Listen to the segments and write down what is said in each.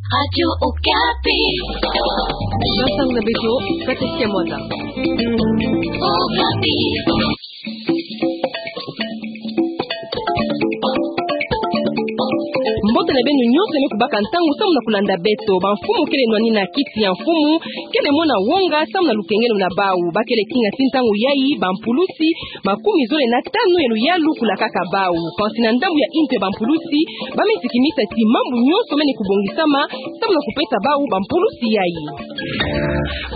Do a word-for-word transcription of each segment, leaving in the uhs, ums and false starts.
Radio Okapi. Nsangu na beto, Patricia Mwanda. Okapi. Mbote na beno nyonso me kubaka ntangu samu na kulanda beto. Bamfumu kele nwani na kiti ya mfumu kele mona wonga samu na lukengelo na bau. Bakele kinga ti ntangu yayi bampulusi makumi zole na tanu ya luyalu kulakaka bau. Kansi na ndambu ya intu ya bampulusi, bame sikimisa ti mambu nyonso mene kubongisama samu na kupesa bau bampulusi yayi.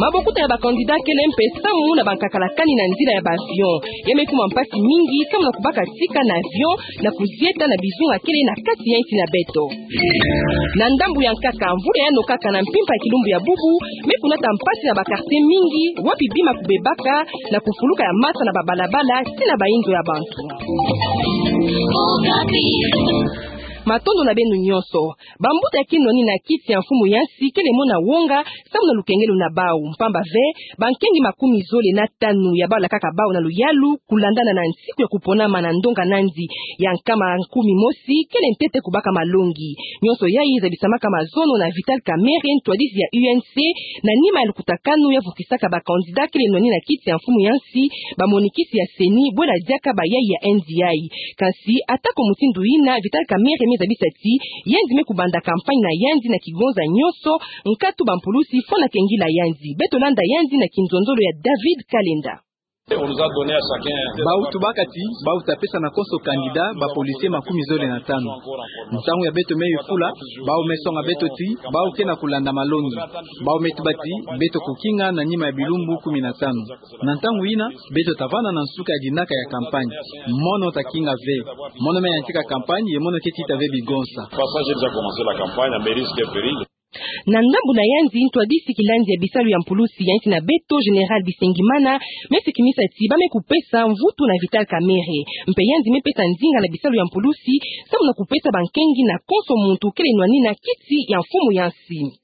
Mabokuta ya bakandida kele mpe samu na bankakala kani na nzila ya baavion. Ya me kuma mpasi mingi samu na kubaka tika na avion na kuzieta na bizunga kele na kati ya insi na beto. Na ndambu ya nkaka, mvula yano kaka na mpimpa ya kilumbu ya bubu me kunata mpasi na bakartie mingi wapi bima kubebaka na kufuluka ya masa na babalabala ti na bainzo ya bantu. Matondo na beno nyonso. Bambuta ya kinwani na kiti ya mfumu ya nsi kele mona wonga samu na lukengelo na bau. Mpamba ve, bankengi makumi zole na tanu ya balakaka bau na luyalu kulandana na nsiku ya kuponama na ndonga na nzi ya nkama kumi mosi kele ntete kubaka malongi. Nyonso yayi zabisamaka mazono na Vital Kamerhe, ntwadisi ya U N C, na nima ya lukutakanu ya vukisaka bakandida kele nwani na kiti ya mfumu ya nsi, bamonikisi ya CENI, bwela diaka bayayi ya N D I. Kansi, ata ko mutindu yina, Vital Kamerhe me zabisa ti yandi me kubanda campagne na yandi na kigonza nyonso, nkatu bampulusi fwana kengila yandi. Beto landa yandi na kinzonzolo ya David Kalenda. Bau tubaka ti bau tapesa na konso kandida bapolisie makumi zole na tanu. Ntangu ya beto me yufula, bau me songa beto ti bau ke na kulanda malongi. Bau me tuba ti beto kukinga na nima ya bilumbu kumi na tanu. Na ntangu yina, beto tavana na nsuka ya dinaka ya campagne. Mono takinga ve. Mono me yantika campagne, ye mono ke tita ve bigonsa. Na ndambu na yandi, ntwadisi kilandi ya bisalu ya mpulusi ya insi na beto, Général Bisengimana, me sikimisa ti bame kupesa mvutu na Vital Kamerhe. Mpe yandi me pesa ndinga na bisalu ya mpulusi samu na kupesa bankengi na konso muntu kele nwani na kiti ya mfumu ya nsi.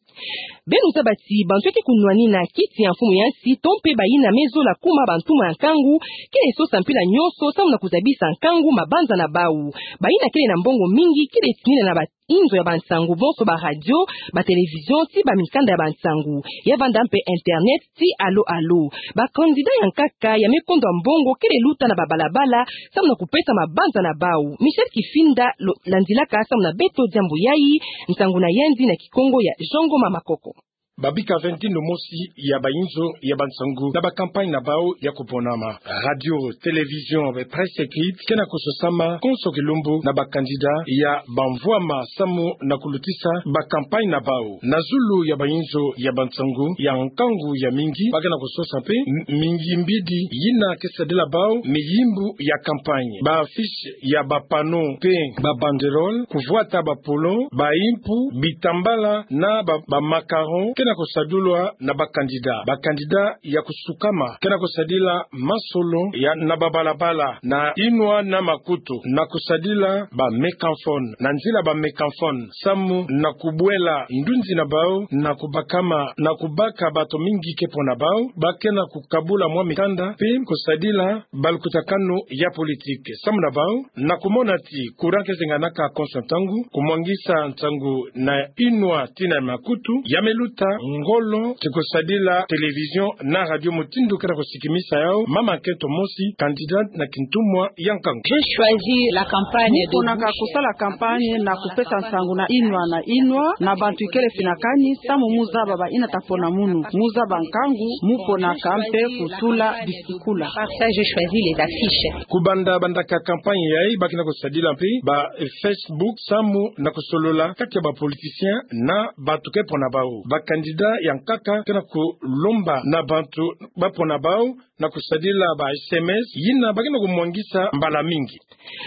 Beno zaba ti bantu ya ke kunwani na kiti ya mfumu ya nsi, to mpe bayina me zola kuma bantuma ya nkangu, kele sosa mpila nyonso samu na kuzabisa nkangu mabanza na bau. Bayina kele na mbongo mingi kele tinina na bainzo ya bansangu, bonso baradio, batelevision, ti bamikanda ya bansangu, ya vanda mpe internet, ti alo alo. Bakandida ya nkaka ya me kondwa mbongo kele luta na babalabala samu na kupesa mabanza na bau. Michel Kifinda lo-, landilaka samu na beto diambu yayi, nsangu na yandi na Kikongo ya Jean Ngoma Makoko. Babika ve ntindo mosi ya bainzo ya bansangu na ba campagne na bau ya kuponama. Radio, télévision, be presse écrite, ke na kusosama konso kilumbu na bakandida ya bamvwama samu na kulutisa ba campagne na bau. Na zulu ya bainzo ya bansangu ya nkangu ya mingi, ba ke na kusosa mpe m-, mingi mbidi yina ke sadila bau miyimbu ya campagne. Ba affiche ya ba panneau mpe ba banderole, kuvwata ba polo, ba impu, bitambala na ba, ba macaron ke na kusadulwa na bakandida. Bakandida ya kusukama ke na kusadila masolo ya na babalabala na inwa na makutu na kusadila ba mégaphone, na nzila ba mégaphone, samu na kubwela ndunzi na bau na kubakama, na kubaka bato mingi ke pona bau, ba ke na kukabula mwa mikanda mpe kusadila balukutakanu ya politique. Samu na bau na kumona ti courant ke zenganaka konso ntangu, kumwangisa nsangu na inwa tina ya makutu ya me luta ngolo ti kusadila télévision na radio mutindu ke na kusikimisa yau, mama Keto Mosi, candidat na kintumwa ya nkangu. J'ai choisi la campagne de bouche. Mu ponaka kusala campagne na kupesa nsangu na inwa na inwa na bantu ikele fina kani, samu mu zaba bayina ta pona munu. Mu zaba nkangu, mu ponaka mpe kutula bisikula. Par ça, j'ai choisi les affiches. Kubanda bandaka campagne yayi, ba ke na kusadila mpe ba, eh, Facebook, samu na kusolola kati ya ba politiciens na bantu ke pona bau. Ba candidats ya nkaka ke na kulomba na bantu ba pona bau na kusadila ba S M S, yina ba ke na kumwangisa mbala mingi.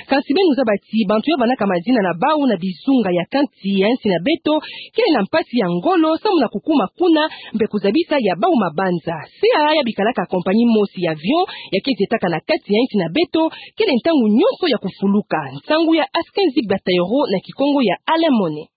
Kasi beno zaba ti bantu ya vandaka mazina na bau na bizunga ya kati ya nsi na beto, kele na mpasi ya ngolo samu na kukuma kuna, mpe kuzabisa ya bau mabanza. C A A ya bikalaka compagnie mosi ya avion ya ke zietaka na kati ya nsi na beto, kele ntangu nyonso ya kufuluka. Nsangu ya Askenzi Bataillero na Kikongo ya Alain Mone.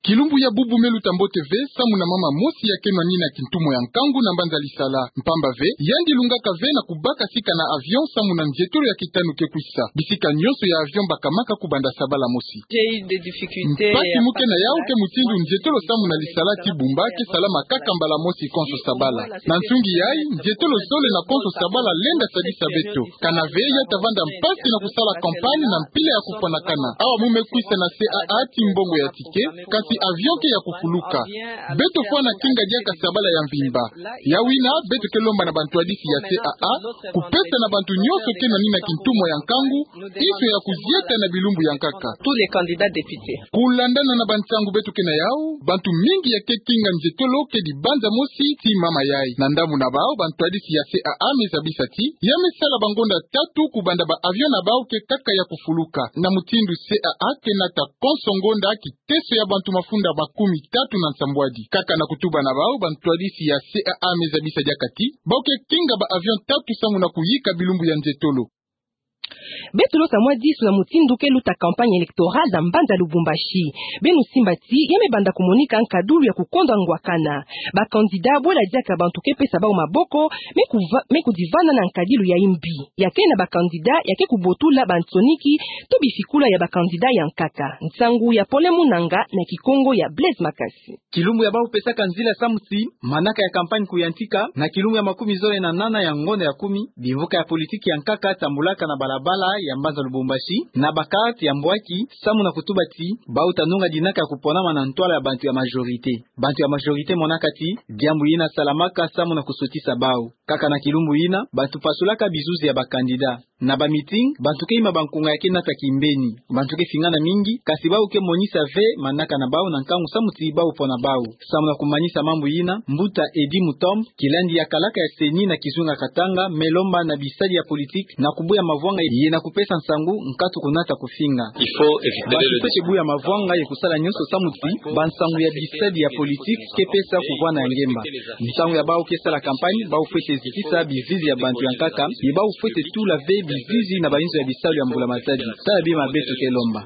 Kilumbu ya bubu me luta mbote ve samu na mama mosi ya kenwa nina kintumo ya nkangu na mbanza lisala. Mpamba ve, yandi lungaka ve na kubaka sika na avion samu na nzietolo ya kitanu ke kwisa. Bisika nyonso ya avion bakamaka kubanda sabala mosi. Mpasi mu kena yau ke mutindu nzietolo samu na lisala ti bumba ke salama kaka mbala mosi konso sabala. Na nsungi yai, nzietolo zole na konso sabala lenda sadisa beto. Kana ve ya tavanda mpasi na kusala campagne na mpila ya kufwanakana. Awa mu me kwisa na C A A ti mbongo ya ticket, kasi avion ke ya kufuluka. Beto fwana kinga diaka sabala ya mvimba. Yawina, beto ke lomba na bantwadisi ya C A A kupesa na bantu nyonso kenwa nina kintumo ya nkangu nzo ya kuzieta na bilumbu ya nkaka. Tous les candidats députés. Kulandana na bansangu beto kena yau, bantu mingi ya ke kinga nzietolo ke dibanza mosi ti mama yai. Na ndambu na bau, bantwadisi ya C A A me zabisa ti ya me sala bangonda tatu kubanda ba avion na bau ke kaka ya kufuluka. Na mutindu C A A ke nata konso ngonda kiteso ya bantu mafunda makumi tatu na nsambwadi. Kaka na kutuba na bau, bantwadisi ya C A A me zabisa diaka ti bau ke kinga ba avion tatu samu na kuyika bilumbu ya nzietolo. Beto lota mwa disu na mutindu ke luta campagne électorale na mbanza Lubumbashi. Beno simba ti ya me banda kumonika nkadulu ya kukondwa ngwakana. Ba candidat bwela diaka bantu ke pesa bau maboko, me kuva-, me kudivana na nkadilu ya mbi. Ya ke na ba candidat ya ke kubotula bansoniki to bifikula ya ba candidat ya nkaka. Nsangu ya Pole Munanga na Kikongo ya Blaise Makasi. Kilumbu ya bau pesaka nzila samu ti manaka ya campagne kuyantika, na kilumbu ya makumi zole na nana ya ngonda ya kumi, bimvuka ya politiki ya nkaka tambulaka na balabala ya mbanza Lubumbashi na ba carte ya mbwaki, samu na kutuba ti bau ta nunga dinaka ya kuponama na ntwala ya bantu ya majorité. Bantu ya majorité monaka ti diambu yina salamaka samu na kusotisa bau. Kaka na kilumbu yina, bantu pasulaka bizuzi ya ba candidat. Na ba meeting, bantu ke ima bankunga ya ke nata kimbeni. Bantu ke fingana mingi, kasi bau ke monisa ve manaka na bau na nkangu samu ti bau pona bau. Samu na kumanisa mambu yina, mbuta Eddy Mutamba, kilandi ya kalaka ya CENI na kizunga Katanga, me lomba na bisadi ya politiki na kubuya mavwanga ye na kupesa nsangu nkatu kunata kufinga. Basi fwete buya mavwanga ye kusala nyonso samu ti bansangu ya bisadi ya politiki ke pesa kuvwanda ya ngemba. Ntangu ya bau ke sala campagne, bau fwete zitisa bizizi ya bantu ya nkaka, ye bau fwete tula ve bizizi na bainzo ya bisalu ya mbula-matadi. Tala bima beto ke lomba.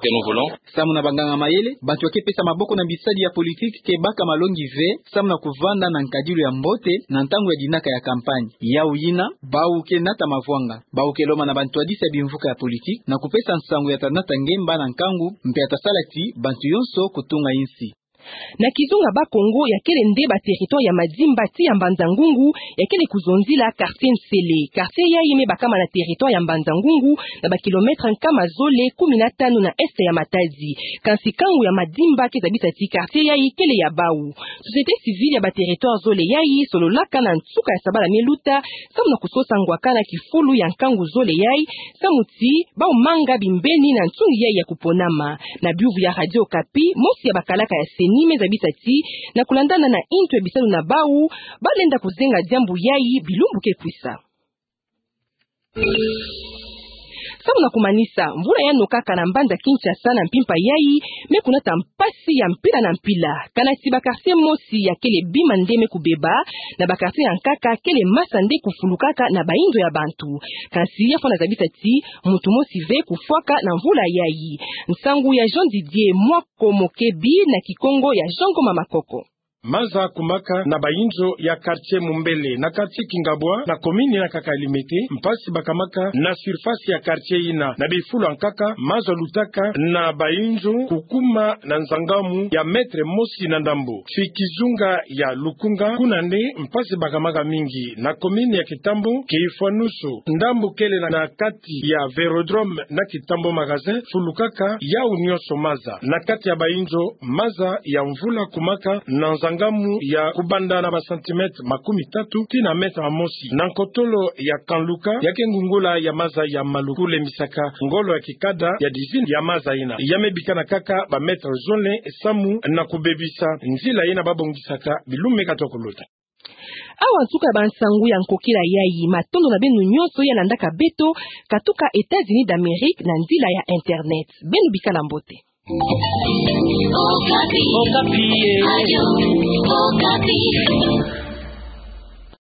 Samu na banganga-mayele, bantu ya ke pesa maboko na bisadi ya politiki ke baka malongi ve, samu na kuvwanda na nkadilu ya mbote na ntangu ya dinaka ya campagne. Yau yina, bau ke nata mavwanga. Bau ke lomba na bantwadisi ya bimvuka ya politiki na kupesa nsangu ya ta nata ngemba na nkangu, mpe ya ta sala ti bantu yonso kutunga insi. Na kizunga Bas-Congo, ya kele nde ba territoire ya Madimba tii ya Mbanza-Ngungu ya kele kuzonzila quartier Nsele. Quartier yayi me bakama na territoire ya Mbanza-Ngungu, na ba kilomètre nkama zole kumi na tanu na est ya Matadi. Kansi kangu ya Madimba ke zabisa ti quartier yayi kele ya bau. Société civile ya ba territoire zole yayi sololaka na nsuka ya sabala me luta, samu na kusosa ngwakana kifulu ya nkangu zole yayi, samu ti bau manga bimbeni na nsungi yayi ya kuponama. Na biuvu ya Radio Okapi, mosi ya bakalaka ya CENI me zabisa ti, na kulandana na intu ya bisalu na bau, ba lenda kuzenga diambu yayi bilumbu ke kwisa. Samu na kumanisa, mvula ya nokaka na mbanza Kinshasa na mpimpa yayi me kunata mpasi ya mpila na mpila. Kana ti ba quartier mosi ya kele bima nde me kubeba, na ba quartier ya nkaka kele masa nde kufulukaka na bainzo ya bantu. Kansi ya fwana zabisa ti muntu mosi ve kufwaka na mvula yayi. Nsangu ya Jean Didier Mwako Mokebi na Kikongo ya Jean Ngoma Makoko. Maza kumaka na bainzo ya quartier Mumbele na quartier Kingabwa na commune na nkaka Limete, mpasi bakamaka na surface ya quartier yina. Na bifulu ya nkaka, maza lutaka na bainzo kukuma na nzangamu ya mètre mosi na ndambo. Ti kizunga ya Lukunga, kuna nde mpasi bakamaka mingi. Na commune ya Kitambo, ke ifwanusu. Ndambu kele na, na kati ya Vélodrome na Kitambo Magasin, fulukaka yau nyonso maza. Na kati ya bainzo, maza ya mvula kumaka na nzangamu ya kubanda na ba centimètre makumi tatu tii na mètre mosi. Na nkotolo ya Kanluka, ya ke ngungula ya maza ya Maluku, lembisaka ngolo ya kikada ya dizini ya maza yina. Ya me bikana kaka ba mètre zole samu na kubebisa nzila yina babongisaka bilumbu me katuka kuluta. Awa nsuka ya bansangu ya nkokila yayi. Matondo na beno nyonso ya landaka beto katuka États-Unis d'Amérique na nzila ya internet. Beno bikala mbote. Okapi. Okapi, eh. Radio Okapi.